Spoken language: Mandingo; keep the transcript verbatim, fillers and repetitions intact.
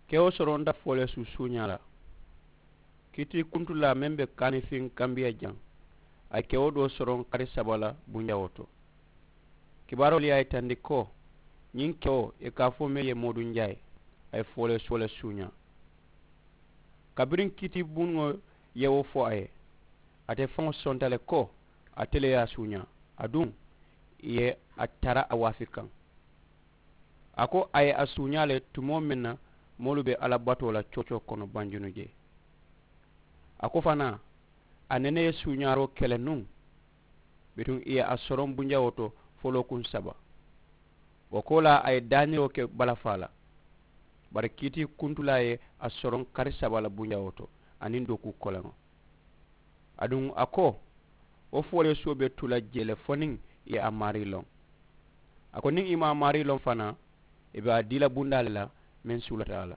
Kewo soronta fo le suusuuñaa la. Kiitii kuntulaa meŋ be kaanifiŋ kambiya jaŋ, a ye kewo doo soroŋ kari saba la bunjawoo to. Kibaaroolu ye a yitandi ko ñiŋ kewo i ka a fo meŋ ye mooduŋ jaayi, a ye fo le suuñaa. Kabiriŋ kiitii buŋo ye wo fo a ye, ate faŋo sonta le ko ate le ye a suuñaa, aduŋ ì ye a tara a waafi kaŋ. A ko a ye a suuñaa le tumoo meŋ na moolu be alla batoo la coocoo kono banjunu jee. A ko fanaa, a nene ye suuñaaroo ke le nuŋ, bituŋ ì ye a soroŋ bunjawoo to folookuŋ saba. Wo koolaa a ye daaniroo ke balafaa la. Bari kiitii kuntulaa ye a soroŋ kari saba la bunjawoo to aniŋ dookuu koleŋo. Aduŋ a ko, wo fooleesuwo be tu la jee le fo niŋ ì ye a maarii loŋ. A ko niŋ ì maŋ a maarii loŋ fanaa, ì be a dii la bundaa le la meŋ suulata a la.